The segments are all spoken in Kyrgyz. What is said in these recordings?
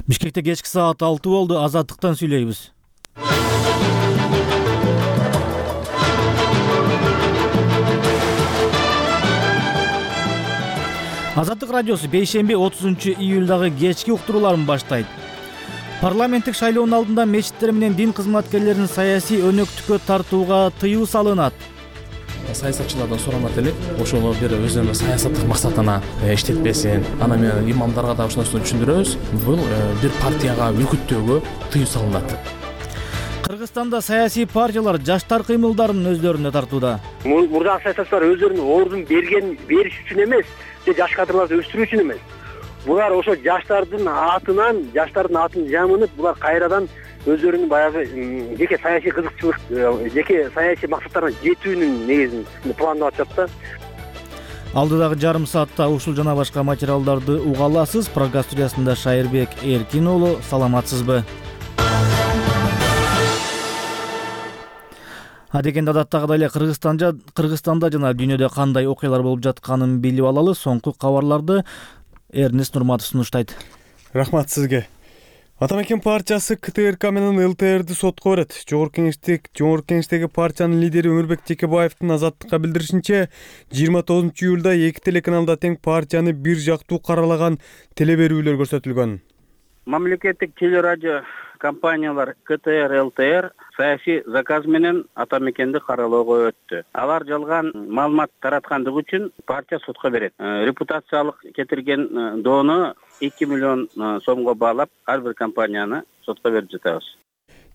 Бишкекте кечки саат 6 болду. Азаттыктан сүйлөйбүз. Азаттык радиосу бейшемби 30-июлдагы кечки уктурууларын баштайт. Парламенттик шайлоонун алдында мечиттер менен дин кызматкерлерин саясий өнөктүккө тартууга тыюу салынат. Саясатчылардан сурамат элек, ошону бир өзүнүн саясаттык максатына иштетпесин. Ана менен имамдарга да ошону түшүндүрөбүз. Бул бир партияга үркүттөөгө тыюу салынат. Кыргызстанда саясий партиялар жаштар кыймылдарын өздөрүнө тартууда. Мурдагы саясатчылар өздөрүнүн ордун бериш үчүн эмес, же жаш кадрларды өстүрүү үчүн эмес. Булар ошо жаштардын атын жамынып, булар кайрадан өздөрүнүн баягы жеке саясий кызыкчылык, жеке саясий максаттарына жетүүнүн негизин пландап атышат да. Алдыдагы жарым саатта ушул жана башка материалдарды уга аласыз. Программа студиясында Шайырбек Эркин уулу. Саламатсызбы? Адегенде адаттагыдай эле Кыргызстанда жана дүйнөдө кандай окуялар болуп жатканын билип алалы. Соңку кабарларды Эрнест Нурматов сунуштайт. Рахмат сизге. Атамекен партиясы КТРК менен ЛТРди сотко берет. Жогорку кеңештеги партиянын лидери Өмүрбек Текебаевдин Азаттыкка билдиришинче, 29-июлда эки телеканалда тең партияны бир жактуу каралаган телеберүүлөр көрсөтүлгөн. Мамлекеттик телерадио компаниялар КТР, ЛТР саясий заказ менен Атамекенди каралоого өттү. Алар жалган маалымат тараткандыгы үчүн партия сотко берет. Репутациялык кетирген доону 2 миллион сомго баалап, ар бир компанияны сотко берип жатабыз.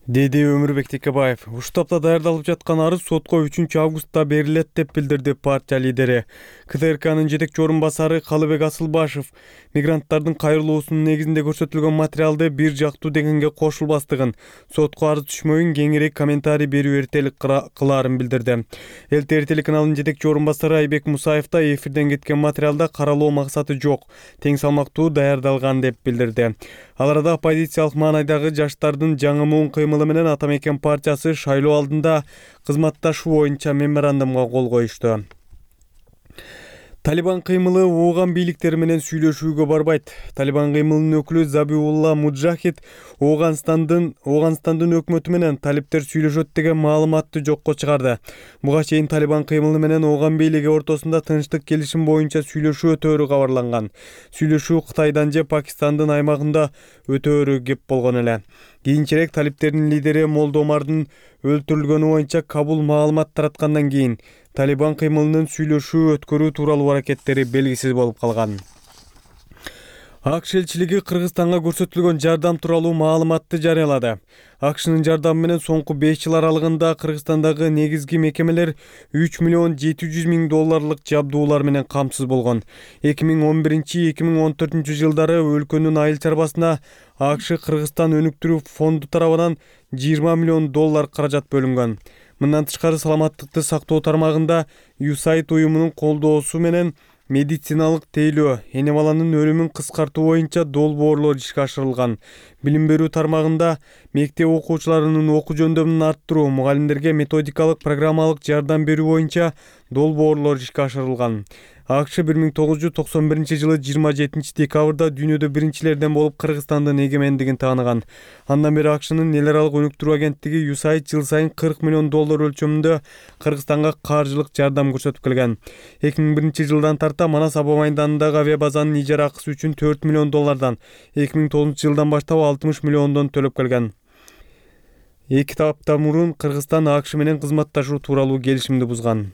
Деди Өмүрбек Текебаев. Ушул тапта даярдалып жаткан арыз сотко 3-августта берилет деп билдирди партия лидери. КТРКнын жетекчи орун басары Калыбек Асылбашев мигранттардын кайрылуусунун негизинде көрсөтүлгөн материалды бир жактуу дегенге кошулбастыгын, сотко арыз түшмөйүн кеңирээк комментарий берүү эртелик кылаарын билдирди. ЛТР телеканалынын жетекчи орун басары Айбек Мусаев да эфирден кеткен материалда каралоо максаты жок, тең салмактуу даярдалган деп билдирди. Ал арада оппозициялык маанайдагы жаштардын жаңы муун кыймылы менен Атамекен партиясы шайлоо алдында кызматташуу боюнча меморандумга кол коюшту. Талибан кыймылы ооган бийликтери менен сүйлөшүүгө барбайт. Талибан кыймылынын өкүлү Забиулла Муджахид Ооганстандын өкмөтү менен талиптер сүйлөшөт деген маалыматты жокко чыгарды. Буга чейин Талибан кыймылы менен ооган бийлиги ортосунда тынчтык келишим боюнча сүйлөшүү өтөөрү кабарланган. Сүйлөшүү Кытайдан же Пакистандын аймагында өтөөрү кеп болгон эле. Кийинчерээк талиптердин лидери Молдомардын өлтүрүлгөнү боюнча Кабул маалымат тараткандан кийин Талибан кыймылынын сүйлөшүү өткөрүү тууралуу аракеттери белгисиз болуп калган. АКШ элчилиги Кыргызстанга көрсөтүлгөн жардам тууралуу маалыматты жарыялады. АКШнын жардамы менен соңку 5 жыл аралыгында Кыргызстандагы негизги мекемелер 3 миллион 700 миң долларлык жабдуулар менен камсыз болгон. 2011-2014 жылдары өлкөнүн айыл чарбасына АКШ Кыргызстан өнүктүрүү фонду тарабынан 20 миллион доллар каражат бөлүнгөн. Мындан тышкары саламаттыкты сактоо тармагында USAID уюмунун колдоосу менен медициналык тейлөө, эне баланын өлүмүн кыскартуу боюнча долбоорлор ишке ашырылган. Билим берүү тармагында мектеп окуучуларынын окуу жөндөмүн арттыруу, мугалимдерге методикалык программалык жардам берүү боюнча долбоорлор ишке ашырылган. АКШ 1991 жылы 27 декабрда дүйнөдө биринчилерден болуп Кыргызстандын эгемендигин тааныган. Андан бери АКШнын эл аралык өнүктүрүү агенттиги USAID жыл сайын 40 миллион доллар өлчөмүндө Кыргызстанга каржылык жардам көрсөтүп келген. 2001 жылдан тарта Манас аба майданындагы авиабазанын ижара акысы үчүн 4 миллион доллардан, 2009 жылдан баштап 60 миллиондон төлөп келген. Эки таптан мурун Кыргызстан АКШ менен кызматташуу тууралуу келишимди бузган.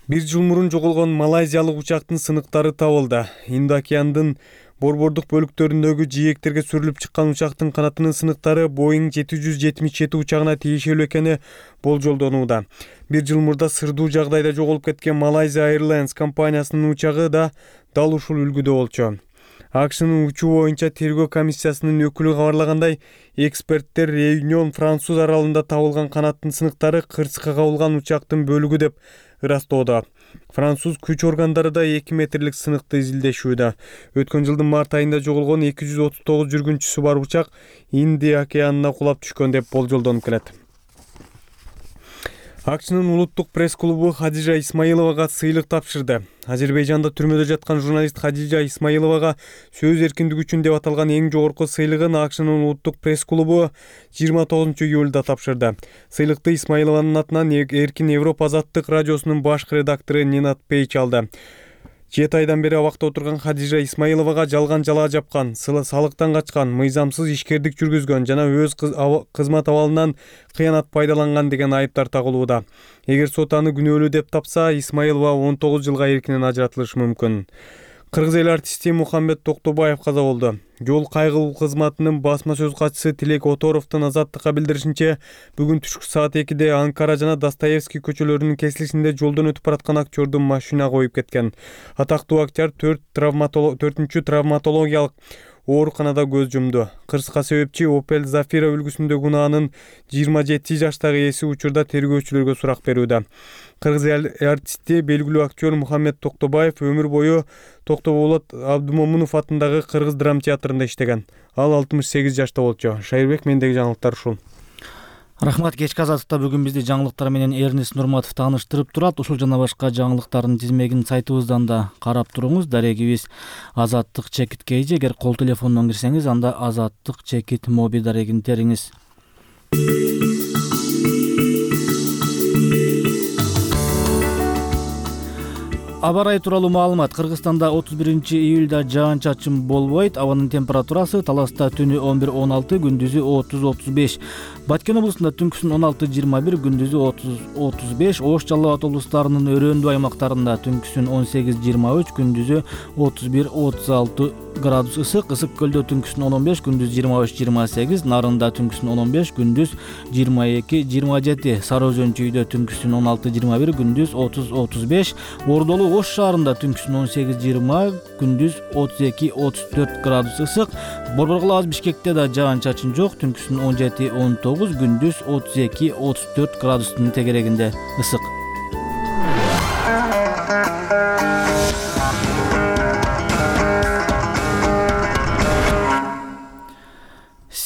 Бир жыл мурун жоголгон малайзиялык учактын сыныктары табылды. Индо-океандын борбордук бөлүктөрүндөгү жээктерге сүрүлүп чыккан учактын канатынын сыныктары Boeing 777 учагына тиешелүү экени болжолдонууда. Бир жыл мурда сырдуу жагдайда жоголуп кеткен Malaysia Airlines компаниясынын учагы да дал ушул үлгүдө болчу. АКШнын учуу боюнча тергөө комиссиясынын өкүлү кабарлагандай, эксперттер Реюнион Француз аралында табылган канаттын сыныктары кырсыкка кабылган учактын бөлүгү деп ырастоодо. Француз күч органдары да 2 метрлик сыныкты изилдешүүдө. Өткөн жылдын март айында жоголгон 239 жүргүнчүсү бар учак Индия океанына кулап түшкөн деп болжолдонуп келет. АКШнын улуттук пресс-клубу Хадижа Исмаиловага сыйлык тапшырды. Азербайжанда түрмөдө жаткан журналист Хадижа Исмаиловага сөз эркиндиги үчүн деп аталган эң жогорку сыйлыгын АКШнын улуттук пресс-клубу 29-июлда тапшырды. Сыйлыкты Исмаилованын атынан Эркин Европа азаттык радиосунун баш редактору Нинат Пейч алды. 7 айдан бери абакта отурган Хадижа Исмаиловага жалган жалаа жапкан, салыктан качкан, мыйзамсыз ишкердик жүргүзгөн жана өз кызмат абалынан кыянат пайдаланган деген айыптар тагылууда. Эгер сот аны күнөөлүү деп тапса, Исмаилова 19 жылга эркинен ажыратылышы мүмкүн. Кыргыз эл артисти Мухаммед Токтобаев каза болду. Жол кайгылуу кызматынын басма сөз катчысы Тилек Оторовдун азаттыкка билдиришинче, бүгүн түшкү саат 2-де Анкара жана Достоевский көчөлөрүнүн кесилишинде жолдон өтүп бараткан актёрдун машина коюп кеткен. Атактуу актер 4-чү травматологиялык ооруканада көз жумду. Кырсыкка себепчи Opel Zafira үлгүсүндөгү унаанын 27 жаштагы ээси учурда тергөөчүлөргө сурак берүүдө. Кыргыз эл артисти белгилүү актер Мухаммед Токтобаев өмүр бою Токтоболот Абдумомунов атындагы Кыргыз драма театрында иштеген. Ал 68 жашта болчу. Шайырбек, мендеги жаңылыктар ушул. Рахмат. Кечки азаттыкта бүгүн бизди жаңылыктар менен Эрнест Нурматов тааныштырып турат. Ушул жана башка жаңылыктардын тизмегин сайтыбыздан да карап туруңуз. Дарегибиз Азаттык чекит KG. Эгер кол телефондон кирсеңиз, анда Азаттык чекит моби дарегин териңиз. Аба ырайы тууралуу маалымат. Кыргызстанда 31-июлда жаан-чачын болбойт. Абанын температурасы Таласта түнү 11-16, күндүзү 30-35. Баткен облусунда түнкүсүн 16-21, күндүзү 30-35. Ош Жалал Абад облустарынын өрөөндүү аймактарында түнкүсүн 18-23, күндүзү 31-36 градус ысык. Ысык көлдө түнкүсүн 15, күндүз 23-28. Нарында түнкүсүн 15, күндүз 22-27. Сары Өзөн чүйдө түнкүсүн 16-21, күндүз 30-35. Ордолу Ош шаарында түнкүсүн 18-20, күндүз 32-34 градус ысык. Борбор Бишкекте да жаан-чачын жок, түнкүсүн 17-19, күндүз 32-34 градустун тегерегинде ысык.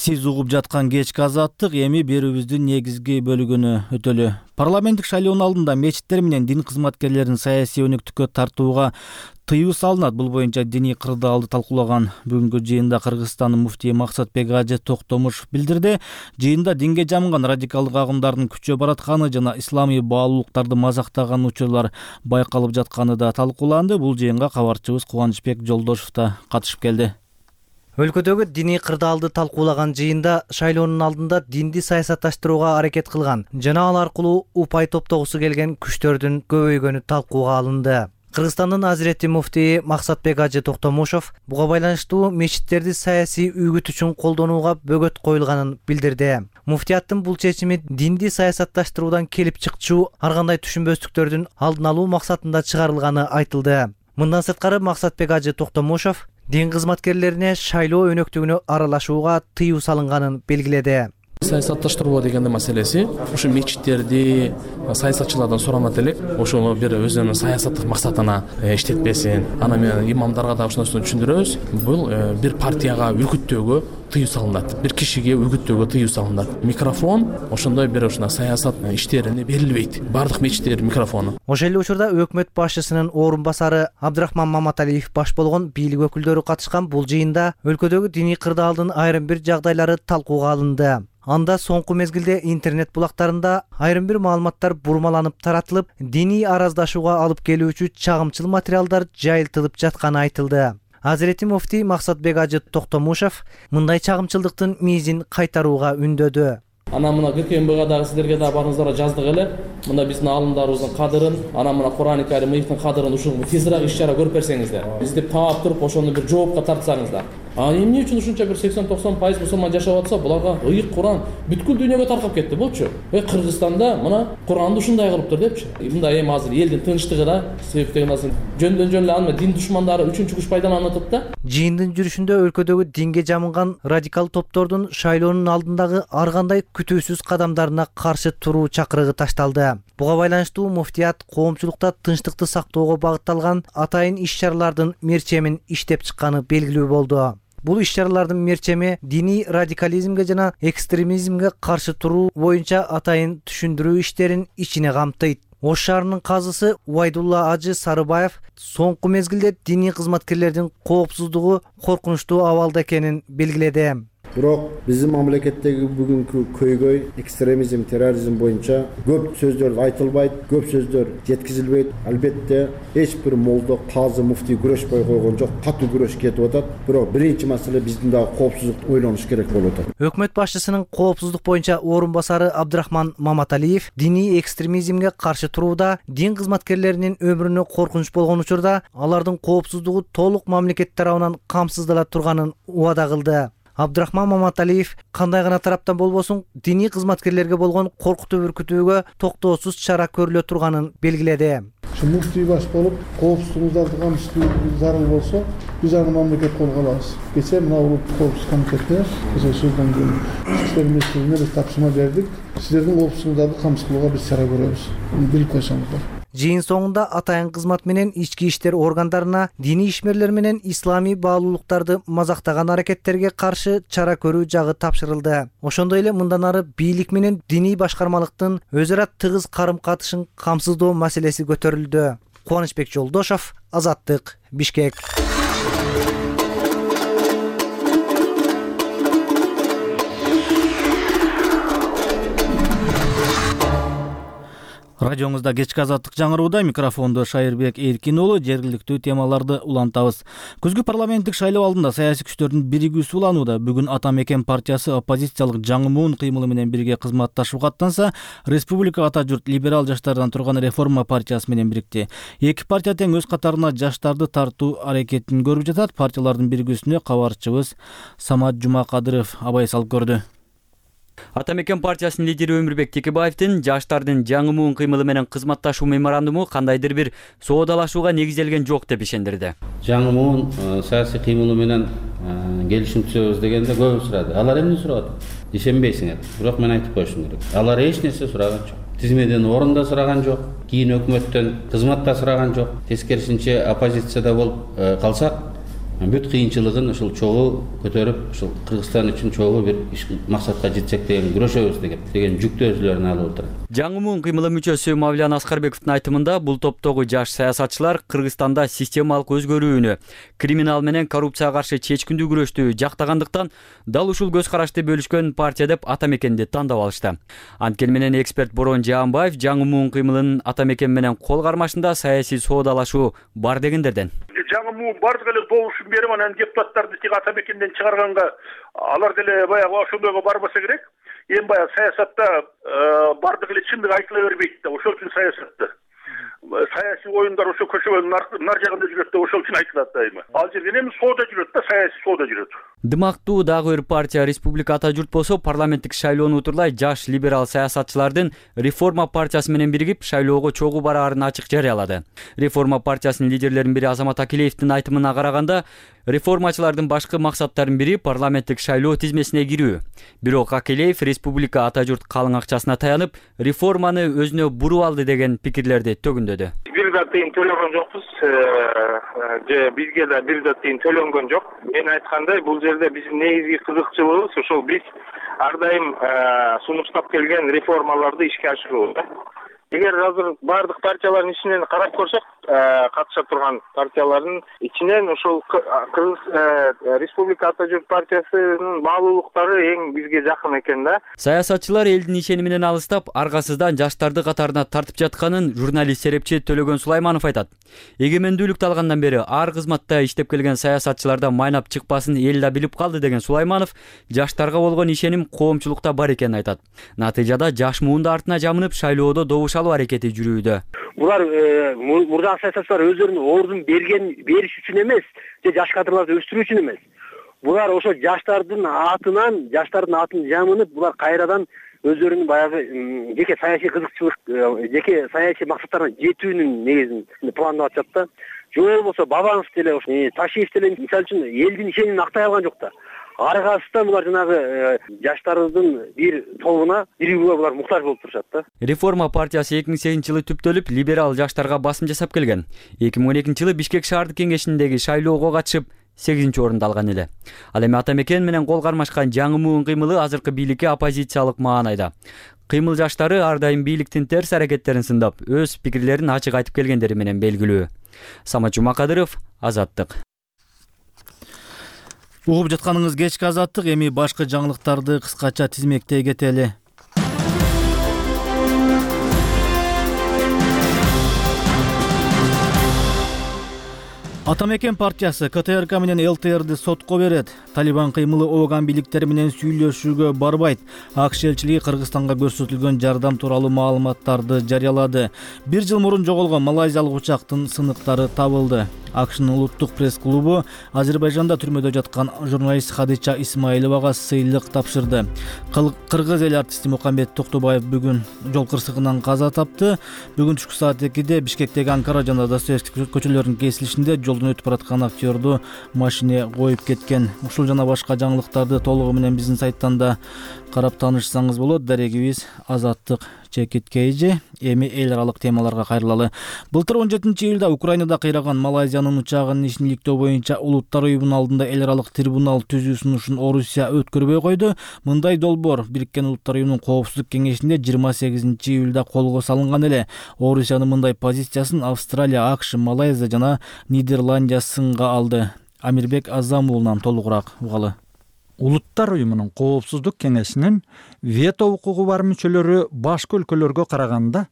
Сиз угуп жаткан кечки азаттык эми берүүбүздүн негизги бөлүгүнө өтөлү. Парламенттик шайлоонун алдында мечиттер менен дин кызматкерлерин саясий өнөктүккө тартууга тыюу салынат. Бул боюнча диний кырдаалды талкуулаган бүгүнкү жыйында Кыргызстандын муфтии Максатбек Ажы Токтомушов билдирди. Жыйында динге жамынган радикалдык агымдардын күчөп баратканы жана исламий баалуулуктарды мазактаган учурлар байкалып жатканы да талкууланды. Бул жыйынга кабарчыбыз Кубанычбек Жолдошев да катышып келди. Өлкөдөгү диний кырдаалды талкуулаган жыйында шайлоонун алдында динди саясатташтырууга аракет кылган жана ал аркылуу упай топтогусу келген күчтөрдүн көбөйгөнү талкууга алынды. Кыргызстандын Азирети муфтии Максатбек Ажы Токтомушов буга байланыштуу мечиттерди саясий үгүт үчүн колдонууга бөгөт коюлганын билдирди. Муфтияттын бул чечими динди саясатташтыруудан келип чыкчу ар кандай түшүнбөстүктөрдүн алдын алуу максатында чыгарылганы айтылды. Мындан сырткары Максатбек Ажы Токтомушов дин кызматкерлерине шайлоо өнөктүгүнө аралашууга тыюу салынганын белгиледи. Саясатташтыруу деген маселеси ушу мечиттерди саясатчылардан суранат элек, ошону бир өзүнүн саясаттык максатына иштетпесин. Ана менен имамдарга да ошонусун түшүндүрөбүз. Бул бир партияга үгүттөөгө тыюу салынат, бир кишиге үгүттөөгө тыюу салынат. Микрофон ошондой бир саясат иштерине берилбейт. Бардык мечиттердин микрофону. Ошол эле учурда өкмөт башчысынын орун басары Абдрахман Маматалиев баш болгон бийлик өкүлдөрү катышкан бул жыйында өлкөдөгү диний кырдаалдын айрым бир жагдайлары талкууга алынды. Анда соңку мезгилде интернет булактарында айрым бир маалыматтар бурмаланып таратылып, диний араздашууга алып келүүчү чагымчыл материалдар жайылтылып жатканы айтылды. Азирети муфтий Максатбек Ажы Токтомушов мындай чагымчылдыктын мизин кайтарууга үндөдү. Ана мына ККМБга дагы силерге да барыңыздарга жаздык эле. Мында биздин аалымдарыбыздын кадырын, ана мына Кур'ан-ы Карим ыйыктын кадырын ушул тезирээк иш-чара көрүп берсеңиздер. Издеп таап туруп ошону бир жоопко тартсаңыздар. Эмне үчүн ушунча бир 80-90% мусулман жашап атса, буларга ыйык Кур'ан бүткүл дүйнөгө таркап кетти болчу. Кыргызстанда мына Кур'анды ушундай кылыптыр депчи. Мында эми азыр элдин тынчтыгына себептеген азыр жөндөн эле аны дин душмандары үчүнчү күч пайдаланып атат да. Жыйындын жүрүшүндө өлкөдөгү динге жамынган радикал топтордун шайлоонун алдындагы ар кандай күтүүсүз кадамдарына каршы туруу чакырыгы ташталды. Буга байланыштуу муфтият коомчулукта тынчтыкты сактоого багытталган атайын иш-чаралардын мерчемин иштеп чыкканы белгилүү болду. Бул иш-чаралардын мерчеми диний радикализмге жана экстремизмге каршы туруу боюнча атайын түшүндүрүү иштерин ичине камтыйт. Ош шаарынын казысы Убайдулла Ажы Сарыбаев соңку мезгилде диний кызматкерлердин коопсуздугу коркунучтуу абалда экенин белгиледи. Бирок биздин мамлекеттеги бүгүнкү көйгөй экстремизм, терроризм боюнча көп сөздөр айтылбайт, көп сөздөр жеткизилбейт. Албетте эч бир молдо, казы, муфтий күрөшпөй койгон жок, катуу күрөш кетип атат. Бирок биринчи маселе биздин дагы коопсуздук ойлонуш керек болуп атат. Өкмөт башчысынын коопсуздук боюнча орун басары Абдрахман Маматалиев диний экстремизмге каршы турууда дин кызматкерлеринин өмүрүнө коркунуч болгон учурда алардын коопсуздугу толук мамлекет тарабынан камсыздала турганын убада кылды. Абдрахман Маматалиев кандай гана тараптан болбосун диний кызматкерлерге болгон коркутуу бүркүтүүгө токтоосуз чара көрүлө турганын белгиледи. Муфтий баш болуп, коопсуздугуңуздарды камсыздоо зарыл болсо, биз аны мамлекет колго алабыз. Кечээ мына улуттук коопсуздук комитетине биз ошондон кийин иштер министрлигине биз тапшырма бердик. Сиздердин коопсуздугуңуздарды камсыздоого биз чара көрөбүз. Билип койсоңуздар. Жыйын соңунда атайын кызмат менен ички иштер органдарына диний ишмерлер менен исламий баалуулуктарды мазактаган аракеттерге каршы чара көрүү жагы тапшырылды. Ошондой эле мындан ары бийлик менен диний башкармалыктын өз ара тыгыз карым-катышын камсыздоо маселеси көтөрүлдү. Кубанычбек Жолдошов, Азаттык, Бишкек. Радиоңузда кечки азаттык жаңырууда микрофондо Шайырбек Эркин уулу, жергиликтүү темаларды улантабыз. Күзгү парламенттик шайлоо алдында саясий күчтөрдүн биригүүсү уланууда. Бүгүн Ата Мекен партиясы оппозициялык жаңы муун кыймылы менен бирге кызматташууга аттанса, Республика Ата журт либерал жаштардан турган Реформа партиясы менен бирикти. Эки партия тең өз катарына жаштарды тартуу аракетин көрүп жатат. Партиялардын биригүүсүнө кабарчыбыз Самат Жумакадыров абай салып көрдү. Ата Мекен партиясынын лидери Өмүрбек Текебаевдин жаштардын жаңы муун кыймылы менен кызматташуу меморандуму кандайдыр бир соодалашууга негизделген жок деп ишендирди. Жаңы муун саясий кыймылы менен келишим түзөбүз дегенде көбү сурады. Алар эмне сурап атат? Ишенбейсиңер. Бирок мен айтып коюшум керек. Алар эч нерсе сураган жок. Тизмеден орун да сураган жок, кийин өкмөттөн кызмат да сураган жок. Тескерисинче оппозицияда болуп калсак, бүт кыйынчылыгын ушул чогуу көтөрүп, ушул Кыргызстан үчүн чогуу бир максатка жетсек деген күрөшөбүз деген жүктү өзүлөрүнө алып отурат. Жаңы муун кыймылы мүчөсү Мавлян Аскарбековдун айтымында бул топтогу жаш саясатчылар Кыргызстанда системалык өзгөрүүнү, криминал менен коррупцияга каршы чечкиндүү күрөштү жактагандыктан дал ушул көз карашты бөлүшкөн партия деп Ата Мекенди тандап алышты. Анткени менен эксперт Борон Жаанбаев жаңы муун кыймылынын Ата Мекен менен кол кармашында саясий соодалашуу бар дегендерден. Жаңы муун бардык эле добушун берип анан депутаттарды тиги Ата Мекенден чыгарганга алар деле баягы ошондойго барбаса керек. Эми баягы саясатта бардык эле чындык айтыла бербейт да. Ошол үчүн саясий оюндар ошо көчөгөнүн нар жагында жүрөт да, ошол үчүн айтылат дайыма. Ал жерден эми соода жүрөт да, саясий соода жүрөт. Дымактуу дагы бир партия Республика Ата журт болсо парламенттик шайлоону утурлай жаш либерал саясатчылардын Реформа партиясы менен биригип шайлоого чогуу бараарын ачык жарыялады. Реформа партиясынын лидерлеринин бири Азамат Акилеевдин айтымына караганда, реформачылардын башкы максаттарынын бири парламенттик шайлоо тизмесине кирүү. Бирок Акилеев Республика Ата журт калың акчасына таянып, реформаны өзүнө буруп алды деген пикирлерди төгүндөдү. Бир да тыйын төлөгөн жокпуз, же бизге да бир да тыйын төлөнгөн жок. Мен айткандай, бул жерде биздин негизги кызыкчылыгыбыз ошол биз ар дайым сунуштап келген реформаларды ишке ашыруу. Эгер азыр бардык партиялардын ичинен карап көрсөк, катышып турган партиялардын ичинен ошол Кыргыз Республика Ата журт партиясынын баалуулуктары эң бизге жакын экен да. Саясатчылар элдин ишени менен алыстап, аргасыздан жаштарды катарына тартып жатканын журналист серепчи Төлөгөн Сулайманов айтат. Эгемендүүлүктү алгандан бери ар кызматта иштеп келген саясатчылардан майнап чыкпасын эл да билип калды деген Сулайманов жаштарга болгон ишеним коомчулукта бар экенин айтат. Натыйжада жаш муунду артына жамынып шайлоодо добуш алуу аракети жүрүүдө. Булар мурдагы саясатчылар өздөрүнүн ордун бериш үчүн эмес, же жаш кадрларды өстүрүү үчүн эмес. Булар ошо жаштардын атын жамынып, булар кайрадан өздөрүнүн баягы жеке саясий кызыкчылык, жеке саясий максаттарына жетүүнүн негизин пландап атышат да. Же болбосо Бабанов деле, Ташиев деле мисалы үчүн элдин ишенимин актай алган жок да. Аргасыздан булар жанагы жаштардын бир тобуна, биригүүгө булар муктаж болуп турушат да. Реформа партиясы 2008-жылы түптөлүп, либерал жаштарга басым жасап келген. 2012-жылы Бишкек шаардык кеңешиндеги шайлоого катышып, 8-орунду алган эле. Ал эми ата мекен менен кол кармашкан жаңы муун кыймылы азыркы бийликке оппозициялык маанайда. Кыймыл жаштары ар дайым бийликтин терс аракеттерин сындап, өз пикирлерин ачык айтып келгендери менен белгилүү. Самат Жумакадыров, Азаттык. Угуп жатканыңыз кечки Азаттык, эми башкы жаңылыктарды кыскача тизмектей кетели. Ата мекен партиясы КТРК менен ЛТРди сотко берет. Талибан кыймылы ооган бийликтери менен сүйлөшүүгө барбайт. АКШ элчилиги Кыргызстанга көрсөтүлгөн жардам тууралуу маалыматтарды жарыялады. 1 жыл мурун жоголгон малайзиялык учактын сыныктары табылды. АКШнын улуттук пресс-клубу Азербайжанда түрмөдө жаткан журналист Хадича Исмаиловага сыйлык тапшырды. Кыргыз эл артисти Мукамбет Токтобаев бүгүн жол кырсыгынан каза тапты. Бүгүн түшкү саат 2-де Бишкектеги Анкара жана Достоевский көчөлөрүнүн кесилишинде жолдон өтүп бараткан актёрду машине коюп кеткен. Ушул жана башка жаңылыктарды толугу менен биздин сайттан да карап таанышсаңыз болот. Дарегибиз Азаттык чекиткейжи. Эми эл аралык темаларга кайрылалы. Былтыр 17-июлда Украинада кыйраган Малайзиянын учагын ишмиликтөө боюнча Улуттар уюмунун алдында эл аралык трибунал түзүү сунушун Орусия өткөрбөй койду. Мындай долбоор Бириккен Улуттар уюмунун коопсуздук кеңешинде 28-июлда колго салынган эле. Орусиянын мындай позициясын Австралия, АКШ, Малайзия жана Нидерландия сынга алды. Амирбек Азам уулунан толугураак угалы. Улуттар уюмунун коопсуздук кеңешинин вето укугу бар мүчөлөрү башка өлкөлөргө караганда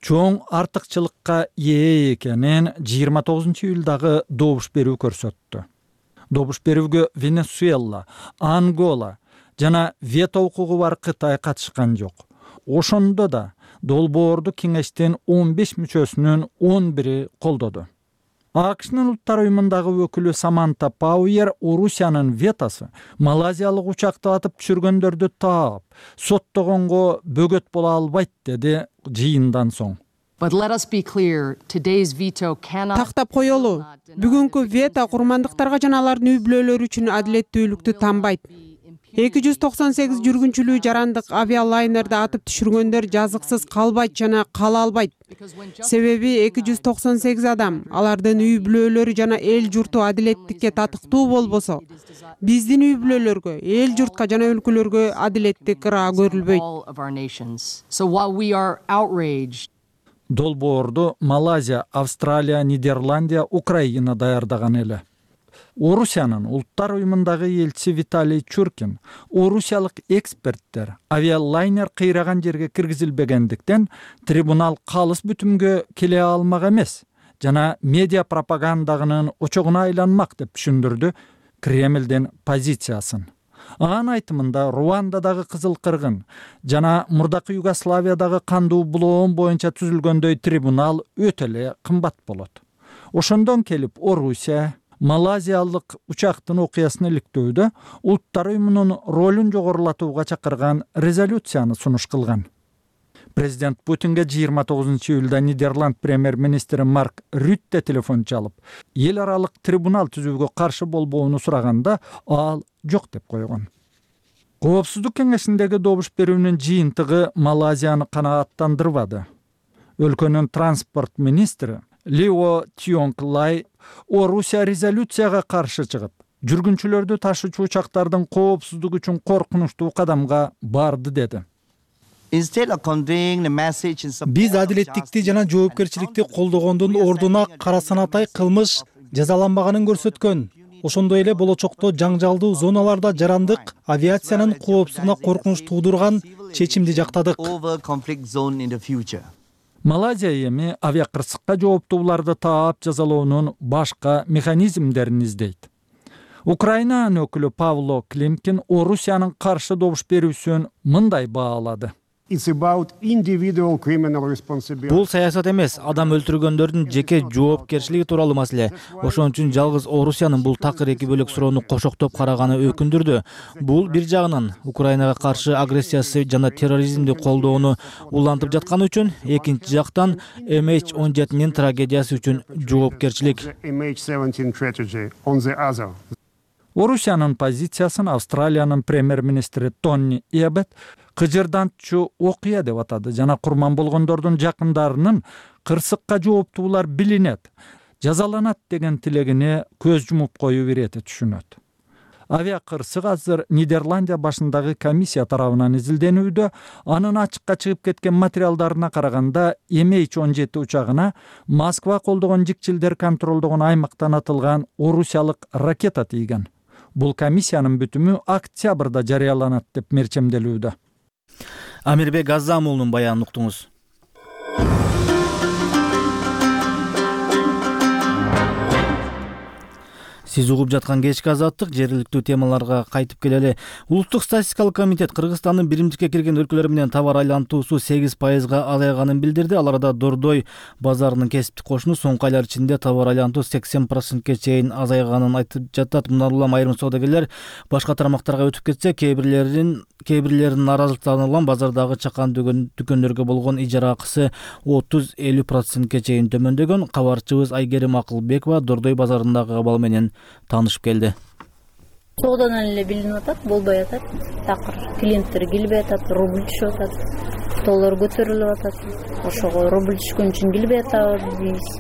чоң артыкчылыкка ээ экенин 29-июлдагы добуш берүү көрсөттү. Добуш берүүгө Венесуэла, Ангола жана вето укугу бар Кытай катышкан жок. Ошондо да долбоорду кеңештин 15 мүчөсүнүн 11-и колдоду. АКШнын улуттар уюмундагы өкүлү Саманта Пауэр Орусиянын ветосы малайзиялык учакты атып түшүргөндөрдү таап, соттогонго бөгөт боло албайт деди жыйындан соң. Тактап коелу. Бүгүнкү вето курмандыктарга жана алардын үй бүлөлөрү үчүн адилеттүүлүктү танбайт. 298 жүргүнчүлүү жарандык авиалайнерди атып түшүргөндөр жазыксыз калбайт жана кала албайт. Себеби 298 адам, алардын үй бүлөлөрү жана эл журту адилеттикке татыктуу болбосо, биздин үй бүлөлөргө, эл журтка жана өлкөлөргө адилеттик ыраа көрүлбөйт. Долбоорду Малайзия, Австралия, Нидерландия, Украина даярдаган эле. Орусиянын улуттар уюмундагы элчиси Виталий Чуркин, орусиялык эксперттер авиалайнер кыйраган жерге киргизилбегендиктен трибунал калыс бүтүмгө келе алмак эмес жана медиа пропагандагынын очогуна айланмак деп түшүндүрдү Кремлдин позициясын. Анын айтымында Руандадагы кызыл кыргын жана мурдакы Югославиядагы кандуу булоон боюнча түзүлгөндөй трибунал өтө эле кымбат болот. Ошондон келип Орусия Малайзиялык учактын окуясын иликтөөдө улуттар уюмунун ролун жогорулатууга чакырган резолюцияны сунуш кылган. Президент Путинге 29-июлда Нидерланд премьер-министри Марк Рютте телефон чалып, эл аралык трибунал түзүүгө каршы болбоону сураганда ал жок деп койгон. Коопсуздук кеңешиндеги добуш берүүнүн жыйынтыгы Малайзияны канааттандырбады. Өлкөнүн транспорт министри Лио Тионглай Орусия резолюцияга каршы чыгып, жүргүнчүлөрдү ташуучу учактардын коопсуздугу үчүн коркунучтуу кадамга барды деди. Биз адилеттикти жана жоопкерчиликти колдогондун ордуна кара санатай кылмыш жазаланбаганын көрсөткөн. Ошондой эле болочокто жаңжалдуу зоналарда жарандык авиациянын коопсуздугуна коркунуч туудурган чечимди жактадык. Малайзия эми авиакырсыкка жооптууларды таап жазалоонун башка механизмдерин издейт. Украинанын өкүлү Павло Климкин Орусиянын каршы добуш берүүсүн мындай баалады. Бул саясат эмес, адам өлтүргөндөрдүн жеке жоопкерчилиги тууралуу маселе. Ошон үчүн жалгыз Орусиянын бул такыр эки бөлөк суроону кошоктоп караганы өкүндүрдү. Бул бир жагынан Украинага каршы агрессиясы жана терроризмди колдоону улантып жатканы үчүн, экинчи жактан MH17-нин трагедиясы үчүн жоопкерчилик. Орусиянын позициясын Австралиянын премьер-министри Тони Эббот кыжырдантчу окуя деп атады жана курман болгондордун жакындарынын кырсыкка жооптуулар билинет. жазаланат деген тилегине көз жумуп коюу ирети түшүнөт. Авиа кырсык азыр Нидерландия башындагы комиссия тарабынан изилденүүдө. Анын ачыкка чыгып кеткен материалдарына караганда MH17 учагына Москва колдогон жикчилдер контролдогон аймактан атылган орусиялык ракета тийген. Бул комиссиянын бүтүмү октябрда жарыяланат деп мерчемделүүдө. Амирбек Азамулдун баянын уктуңуз. Сиз угуп жаткан кечки азаттык жергиликтүү темаларга кайтып келели. Улуттук статистикалык комитет Кыргызстандын биримдикке кирген өлкөлөр менен товар айлантуусу 8%-га азайганын билдирди. Ал арада Дордой базарынын кесиптик кошуну соңку айлар ичинде товар айлантуу 80%га чейин азайганын айтып жатат. Мындан улам айрым соодагерлер башка тармактарга өтүп кетсе, кээ бирлеринин нааразылыктарынан улам базардагы чакан дүкөндөргө болгон ижара акысы 30-50%га чейин төмөндөгөн. Кабарчыбыз Айгерим Акылбекова Дордой базарындагы абал менен танышып келди. Соодадан эле билинип атат, болбой атат. Такыр клиенттер келбей атат, рубль түшүп атат. Доллар көтөрүлүп атат. Ошого рубль түшкөн үчүн келбей атабыз.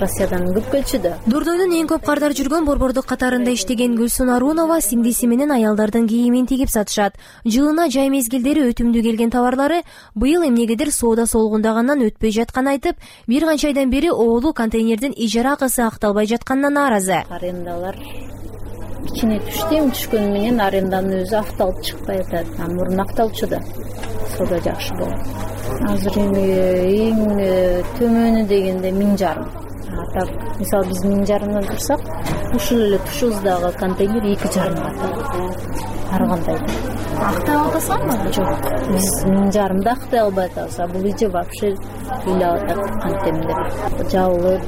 Россиядан көп келчү да. Дордойдун эң көп кардар жүргөн борбордук катарында иштеген Гүлсүн Арунова сиңдиси менен аялдардын кийимин тигип сатышат. Жылына жай мезгилдери өтүмдүү келген товарлары быйыл эмнегедир соода солгундагандан өтпөй жатканын айтып, бир канча айдан бери оолу контейнердин ижара акысы акталбай жатканына нааразы. Арендалар кичине түшкөнү менен аренданын өзү акталып чыкпай атат. Мурун акталчу да. Соода жакшы болот. Азыр эң төмөнү дегенде 1000,500. Так, мисалы биз 1000,500 турсак, ушул эле тушубуздагы контейнер 2,5 атат. Ар кандай. Актай атасыңбы? Жок. Биз 1000,500 актай албай атабыз. Бул ije вообще ыйлап атат контейнер. Жабылып,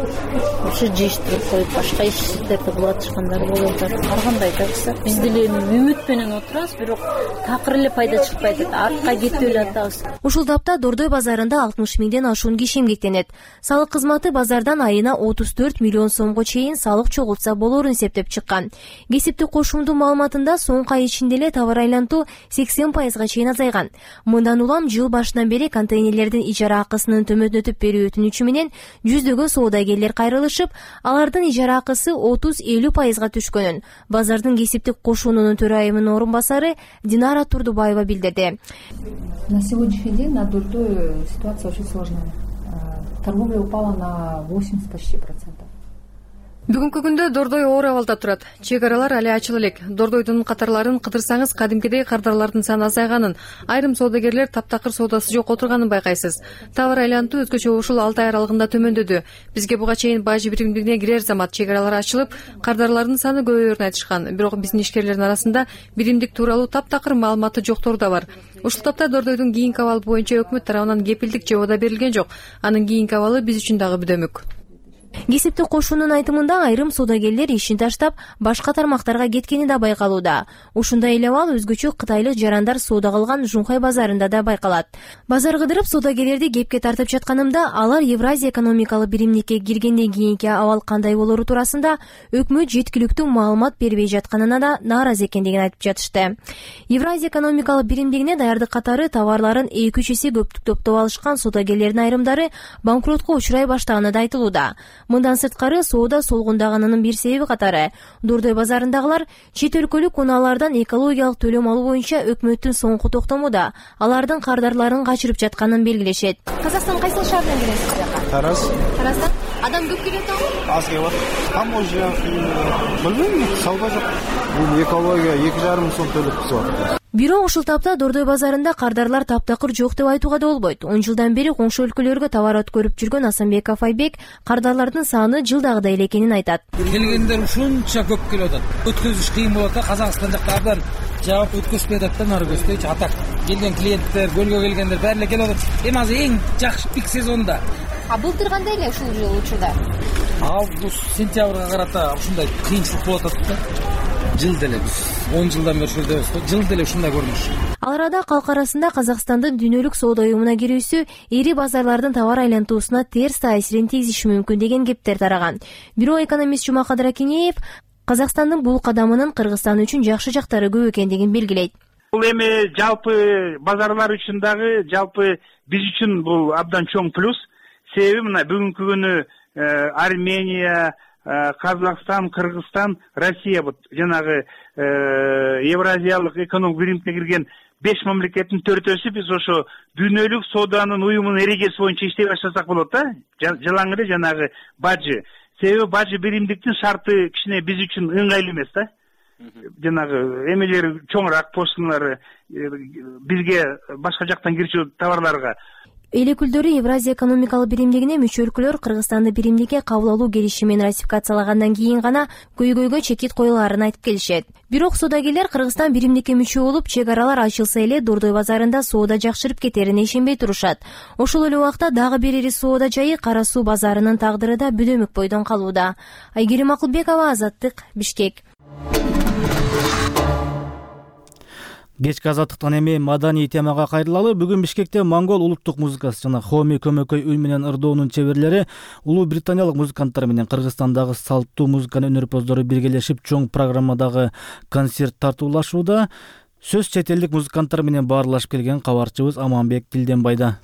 ушу жиштирип коюп, башка иштерди кылып атышкандар болуп атат. Ар кандай да. Биз деле үмүт менен отурабыз, бирок такыр эле пайда чыкпай атат. Артка кетип эле атабыз. Ушул тапта Дордой базарында 60 миңден ашуун киши эмгектенет. Салык кызматы базардан айына 34 миллион сомго чейин салык чогултса болорун эсептеп чыккан. Кесиптик кошумдун маалыматында соңку ай ичинде эле товар айлантуу 80%га чейин азайган. Мындан улам жыл башынан бери контейнерлердин ижара акысынын төмөндөтүп берүү өтүнүчү менен жүздөгөн соодагерлер кайрылышып, алардын ижара акысы 30-50%га түшкөнүн базардын кесиптик кошуунунун төрайымынын орун басары Динара Турдубаева билдирди. На сегодняшний день на Дордой ситуация очень сложная. Торговля упала на 80 почти процентов. Бүгүнкү күндө Дордой оор абалда турат. Чек аралар али ачыла элек. Дордойдун катарларын кыдырсаңыз кадимкидей кардарлардын саны азайганын, айрым соодагерлер таптакыр соодасы жок отурганын байкайсыз. Товар айлантуу өзгөчө ушул 6 ай аралыгында төмөндөдү. Бизге буга чейин бажы биримдигине кирер замат чек аралар ачылып, кардарлардын саны көбөйөрүн айтышкан. Бирок биздин ишкерлердин арасында биримдик тууралуу таптакыр маалыматы жоктору да бар. Ушул тапта Дордойдун кийинки абалы боюнча өкмөт тарабынан кепилдик же ода берилген жок. Анын кийинки абалы биз үчүн дагы бүдөмүк. Кесиптик кошуунун айтымында айрым соодагерлер ишин таштап, башка тармактарга кеткени да байкалууда. Ушундай эле абал өзгөчө кытайлык жарандар соода кылган Жунхай базарында да байкалат. Базар кыдырып соодагерлерди кепке тартып жатканымда, алар Евразия экономикалык биримдикке киргенден кийинки абал кандай болору туурасында өкмөт жеткиликтүү маалымат бербей жатканына да нааразы экендигин айтып жатышты. Евразия экономикалык биримдигине даярдык катары товарларын 2-3 эсе көптүк топтоп алышкан соодагерлердин айрымдары банкротко учурай баштаганы да айтылууда. Мындан сырткары соода солгундаганынын бир себеби катары Дордой базарындагылар чет өлкөлүк унаалардан экологиялык төлөм алуу боюнча өкмөттүн соңку токтомуда алардын кардарларын качырып жатканын белгилешет. Казакстан кайсы шаардан келесиз? Тараз. Тараздан? Адам көп келет абы? Аз келет. Таможня, билбейм, сауда жок. Бул экология 2,5 сом төлөп кызып. Бирок ушул тапта Дордой базарында кардарлар таптакыр жок деп айтууга да болбойт. 10 жылдан бери коңшу өлкөлөргө товар өткөрүп жүргөн Асанбеков Айбек кардарлардын саны жылдагыдай эле экенин айтат. Келгендер ушунча көп келип атат. Өткөзүш кыйын болот да, Казакстан жактардан жаап өткөзбөй атат да, нары көздөйчү атак. Келген клиенттер, көлгө келгендер баары эле келип атат. Эми азыр эң жакшы пик сезонда. Былтыр кандай эле ушул жыл учурда? Август, сентябрга карата ушундай кыйынчылык болуп атат да. Жыл деле биз 10 жылдан бери ушурдабыз го. Жыл деле ушундай көрүнүш. Ал арада калк арасында Казакстандын дүйнөлүк соода уюмуна кирүүсү эри базарлардын товар айлантуусуна терс таасирин тийгизиши мүмкүн деген кептер тараган. Бирок экономист Жумак Кадракенеев Казакстандын бул кадамынын Кыргызстан үчүн жакшы жактары көп экендигин белгилейт. Бул эми жалпы базарлар үчүн дагы, жалпы биз үчүн бул абдан чоң плюс. Себеби мына бүгүнкү күнү Армения, Казакстан, Кыргызстан, Россия вот жанагы Евразиялык экономик биримге кирген 5 мамлекеттин 4-өсү биз ошо дүйнөлүк сооданын уюмунун эрежеси боюнча иштей баштасак болот да. Жалаң эле жанагы бажы. Себеби бажы биримдиктин шарты кичине биз үчүн ыңгайлуу эмес да. Жанагы эмелери чоңураак, пошлиналары бизге башка жактан кирчү товарларга. Эл өкүлдөрү Евразия экономикалык биримдигине мүчө өлкөлөр Кыргызстанды биримдикке кабыл алуу келишимин ратификациялагандан кийин гана көйгөйгө чекит коюлаарын айтып келишет. Бирок соодагерлер Кыргызстан биримдикке мүчө болуп, чек аралар ачылса эле Дордой базарында соода жакшырып кетерине ишенбей турушат. Ошол эле убакта дагы бир ири соода жайы Кара Суу базарынын тагдыры да бөлөмүк бойдон калууда. Айгерим Акылбекова, Азаттык, Бишкек. Кечки азаттыктан эми маданий темага кайрылалы. Бүгүн Бишкекте монгол улуттук музыкасы жана Хоми көмөкөй үн менен ырдоонун чеберлери улуу британиялык музыканттар менен Кыргызстандагы салттуу музыканын өнөрпоздору биргелешип чоң программадагы концерт тартуулашууда. Сөз чет элдик музыканттар менен баарлашып келген кабарчыбыз Аманбек Тилденбайда.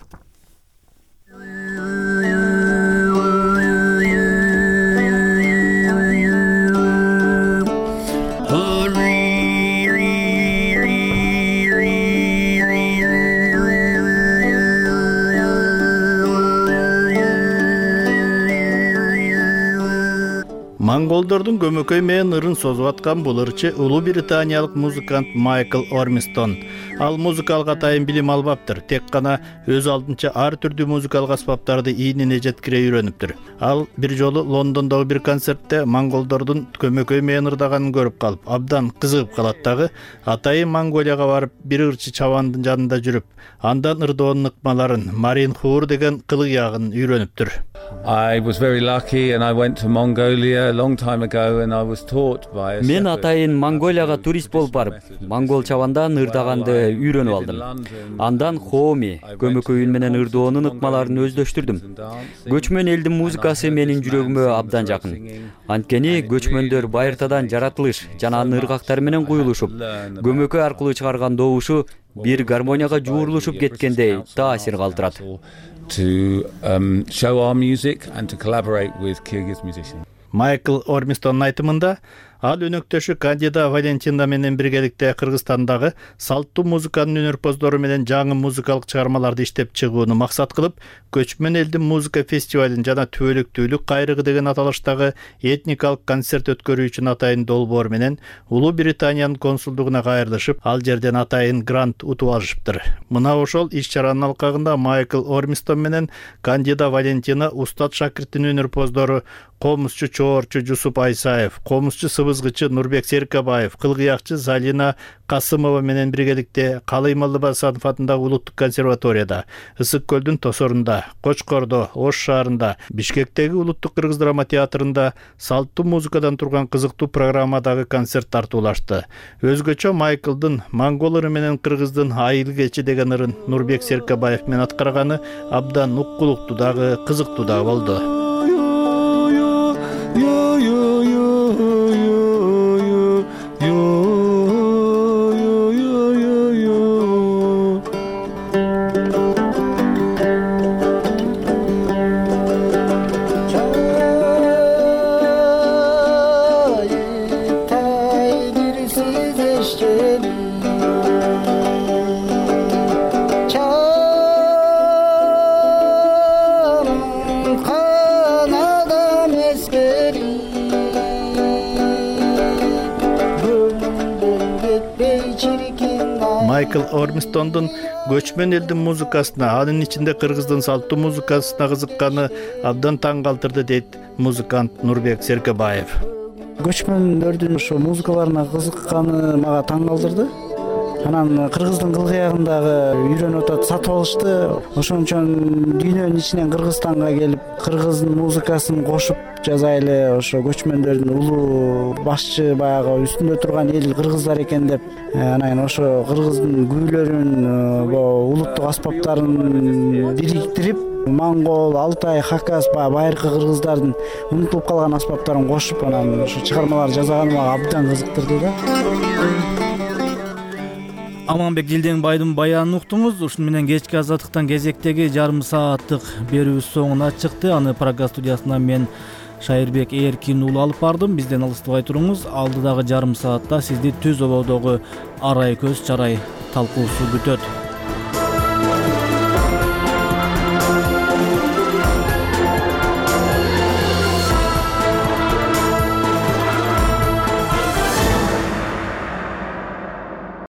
Монголдордун көмөкөй менен ырын созуп аткан бул ырчы улуу британиялык музыкант Майкл Ормистон. Ал музыкалык атайын билим албаптыр, тек гана өз алдынча ар түрдүү музыкалык аспаптарды ийнине жеткире үйрөнүптүр. Ал бир жолу Лондондогу бир концертте монголдордун көмөкөй менен ырдаганын көрүп калып, абдан кызыгып калат дагы. Атайын Монголияга барып, бир ырчы чабандын жанында жүрүп, андан ырдоонун ыкмаларын, Марин Хур деген кылык ягын үйрөнүптүр. I was very lucky and I went to Mongolia a long time ago and I was taught by a Мен атайын Монголияга турист болуп барып, монгол чабандан ырдаганды үйрөнүп алдым. Андан Хоми көмөкөй үн менен ырдоонун ыкмаларын өздөштүрдүм. Көчмөн элдин музыкасы менин жүрөгүмө абдан жакын. Анткени көчмөндөр байыртадан жаратылыш жана анын ыргактары менен куюлушуп, көмөкөй аркылуу чыгарган добушу бир гармонияга жуурулушуп кеткендей таасир калтырат. To show our music and to collaborate with Kyrgyz musicians. Майкл Ормистонун айтымында, ал өнөктөшү Кандида Валентина менен биргеликте Кыргызстандагы салттуу музыканын өнөрпоздору менен жаңы музыкалык чыгармаларды иштеп чыгууну максат кылып, Көчмөн элдин музыка фестивалын жана Түбөлүктүүлүк кайрыгы деген аталыштагы этникалык концерт өткөрүү үчүн атайын долбоор менен Улуу Британиянын консулдугуна кайрылышып, ал жерден атайын грант утуп алышыптыр. Мына ошол иш-чаранын алкагында Майкл Ормистон менен Кандида Валентина устат шакирттин өнөрпоздору комузчу чоорчу Жусуп Айсаев, комузчу сыбызгычы Нурбек Серкебаев, кылгыякчы Залина Касымова менен биргеликте Калый Малдыбасанов атындагы улуттук консерваторияда, Ысык көлдүн тосорунда, Кочкордо, Ош шаарында, Бишкектеги улуттук кыргыз драма театрында салттуу музыкадан турган кызыктуу программадагы концерт тартуулашты. Өзгөчө Майклдын монгол ыры менен кыргыздын айыл кечи деген ырын Нурбек Серкебаев менен аткарганы абдан уккулуктуу дагы кызыктуу да болду. Майкл Ормистондун көчмөн элдин музыкасына, анын ичинде кыргыздын салттуу музыкасына кызыкканы абдан таң калтырды, дейт музыкант Нурбек Серкебаев. Көчмөндөрдүн ошо музыкаларына кызыкканы мага таң калтырды. Анан кыргыздын кылгыягындагы үйрөнүп атат, сатып алышты. Ошон үчүн дүйнөнүн ичинен Кыргызстанга келип, кыргыздын музыкасын кошуп жазайлы, ошо көчмөндөрдүн улуу башчы баягы үстүндө турган эл кыргыздар экен деп, анан ошо кыргыздын күүлөрүн, улуттук аспаптарын бириктирип, монгол, алтай, хакас байыркы кыргыздардын унутулуп калган аспаптарын кошуп, анан ошо чыгармалар жасаганы мага абдан кызыктырды да. Аманбек Жылдеңбайдын баянын уктуңуз. Ушуну менен кечки азаттыктан кезектеги жарым сааттык берүүбүз соңуна чыкты. Аны Прага студиясынан мен Шайырбек Эркин уулу алып бардым. Бизден алыстабай туруңуз. Алдыдагы жарым саатта сизди түз ободогу арай көз чарай талкуусу күтөт.